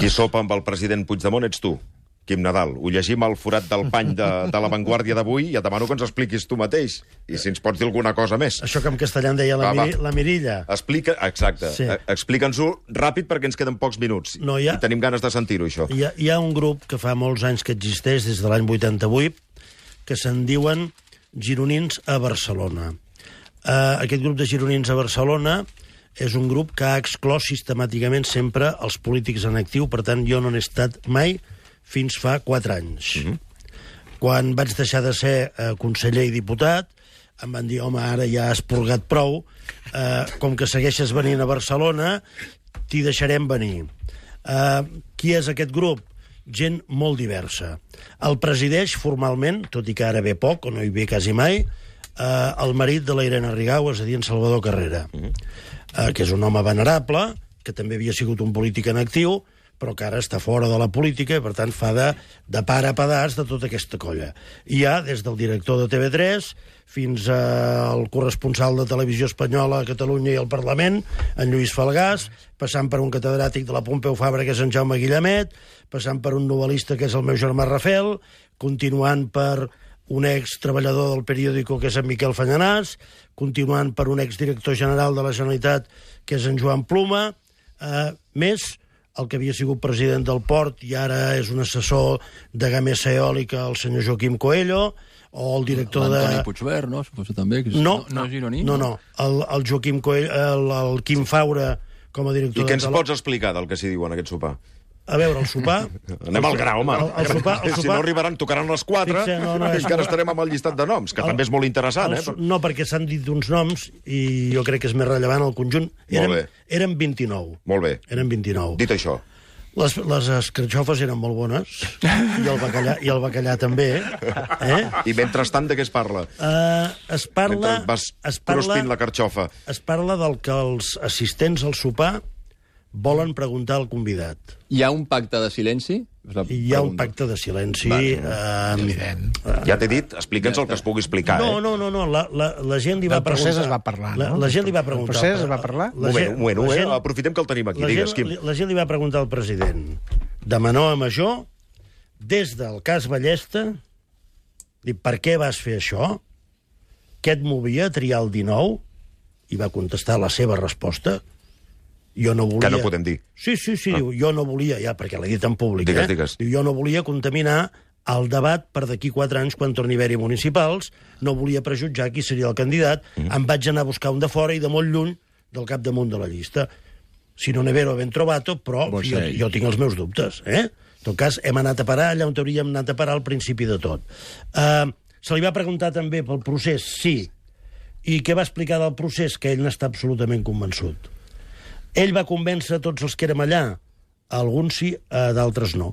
Qui sopa amb el president Puigdemont ets tu, Quim Nadal. Ho llegim al forat del pany de La Vanguardia d'avui i et demano que ens expliquis tu mateix. I si ens pots dir alguna cosa més. Això que en castellà en deia la mirilla. Exacte. Sí. Explica'ns-ho ràpid perquè ens queden pocs minuts. I tenim ganes de sentir-ho, això. Hi ha un grup que fa molts anys que existeix, des de l'any 88, que se'n diuen Gironins a Barcelona. Aquest grup de Gironins a Barcelona és un grup que ha exclòs sistemàticament sempre els polítics en actiu, per tant, jo no n'he estat mai fins fa 4 anys. Quan vaig deixar de ser conseller i diputat, em van dir, home, ara ja has purgat prou, com que segueixes venint a Barcelona, t'hi deixarem venir. Qui és aquest grup? Gent molt diversa. El presideix formalment, tot i que ara ve poc, o no hi ve quasi mai, el marit de la Irene Rigau, és a dir, en Salvador Carrera, que és un home venerable, que també havia sigut un polític en actiu, però que ara està fora de la política i, per tant, fa de pare a pedaç de tota aquesta colla. Hi ha, des del director de TV3 fins al corresponsal de Televisió Espanyola a Catalunya i al Parlament, en Lluís Falgàs, passant per un catedràtic de la Pompeu Fabra, que és en Jaume Guillamet, passant per un novel·lista, que és el meu germà Rafel, continuant per un ex-treballador del periòdico, que és en Miquel Fallanàs, continuant per un ex-director general de la Generalitat, que és en Joan Pluma, més el que havia sigut president del Port i ara és un assessor de Gamesa Eòlica, el senyor Joaquim Coelho, o el director de... L'Antoni Puigverd, no? Suposo també, que no és gironí? No. El Joaquim Coelho, el Quim Faura, com a director de... I què ens pots explicar del que s'hi diu en aquest sopar? A veure, el sopar... Anem al gra, home. El sopar... Si no arribaran, tocaran les 4, i encara estarem amb el llistat de noms, que també és molt interessant, No, perquè s'han dit uns noms, i jo crec que és més rellevant el conjunt. Eren 29. Molt bé. Eren 29. Dit això. Les escarxofes eren molt bones, i el bacallà també. I mentrestant, de què es parla? Es parla... Mentre vas cruspint la carxofa. Es parla del que els assistents al sopar volen preguntar al convidat. Hi ha un pacte de silenci? Hi ha un pacte de silenci. Evident. Ja t'he dit, explica'ns el que es pugui explicar. No, la gent li va preguntar... El procés es va parlar, no? La gent li va preguntar... El procés es va parlar? Un moment, aprofitem que el tenim aquí. Digues, Quim. La gent li va preguntar al president, de menor a major, des del cas Ballesta, per què vas fer això? Què et movia a triar el 19? I va contestar la seva resposta. Jo no volia... Que no podem dir. Sí, diu, jo no volia, ja, perquè l'he dit en públic, Digues. Diu, jo no volia contaminar el debat per d'aquí 4 anys, quan torni a haver-hi municipals, no volia prejutjar qui seria el candidat, em vaig anar a buscar un de fora i de molt lluny del capdamunt de la llista. Si no ne vero ben trovato, però jo tinc els meus dubtes, En tot cas, hem anat a parar allà on hauríem anat a parar al principi de tot. Se li va preguntar també pel procés, sí. I què va explicar del procés? Que ell n'està absolutament convençut. Ell va convèncer tots els que érem allà. Alguns sí, d'altres no.